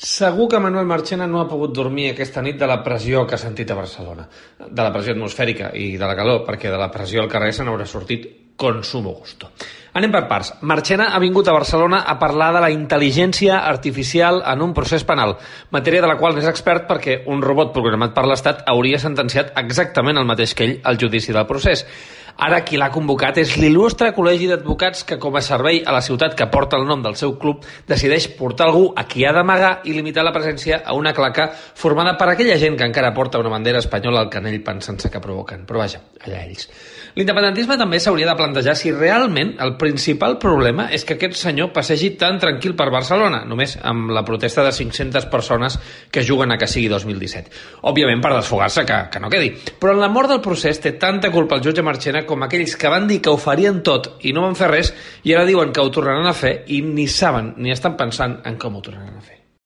Segur que Manuel Marchena no ha pogut dormir aquesta nit de la pressió que ha sentit a Barcelona, de la pressió atmosfèrica i de la calor, perquè de la pressió al carrer se n'haurà sortit con sumo gusto. Anem per parts. Marchena ha vingut a Barcelona a parlar de la intel·ligència artificial en un procés penal, matèria de la qual n'és expert perquè un robot programat per l'Estat hauria sentenciat exactament el mateix que ell al judici del procés. Ara qui l'ha convocat és l'il·lustre col·legi d'advocats que, com a servei a la ciutat que porta el nom del seu club, decideix portar algú a qui ha d'amagar i limitar la presència a una claca formada per aquella gent que encara porta una bandera espanyola al canell pensant-se que provoquen. Però vaja, allà ells. L'independentisme també s'hauria de plantejar si realment el principal problema és que aquest senyor passegi tan tranquil per Barcelona, només amb la protesta de 500 persones que juguen a que sigui 2017. Òbviament per desfogar-se, que no quedi. Però en la mort del procés té tanta culpa el jutge Marchena com aquells que van dir que ho farien tot i no van fer res i ara diuen que ho tornaran a fer i ni saben ni estan pensant en com ho tornaran a fer.